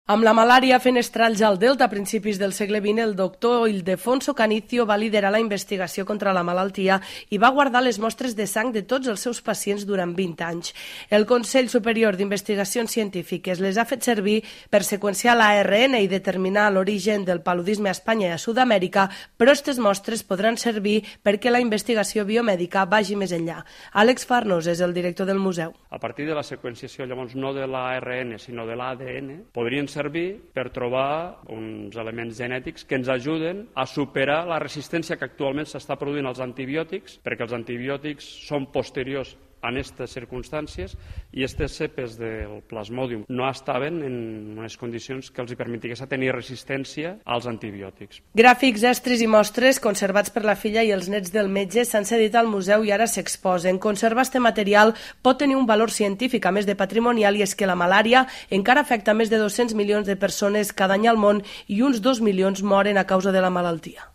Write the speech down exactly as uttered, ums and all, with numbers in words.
Amb la malària fenestrals al Delta a principis del segle vint, el doctor Ildefonso Canicio va liderar la investigació contra la malaltia i va guardar les mostres de sang de tots els seus pacients durant vint anys. El Consell Superior d'Investigacions Científiques les ha fet servir per seqüenciar l'A R N i determinar l'origen del paludisme a Espanya i a Sud-amèrica, però aquestes mostres podran servir perquè la investigació biomèdica vagi més enllà. Àlex Farnos és el director del museu. A partir de la seqüenciació, llavors, no de l'A R N, sinó de l'A D N, podrien ser servir per trobar uns elements genètics que ens ajuden a superar la resistència que actualment s'està produint als antibiòtics, perquè els antibiòtics són posteriors en aquestes circumstàncies i aquestes cepes del plasmodium no estaven en unes condicions que els permetigués tenir resistència als antibiòtics. Gràfics, estris i mostres conservats per la filla i els nets del metge s'han cedit al museu i ara s'exposen. Conservar este material pot tenir un valor científic a més de patrimonial, i és que la malària encara afecta més de dos-cents milions de persones cada any al món i uns dos milions moren a causa de la malaltia.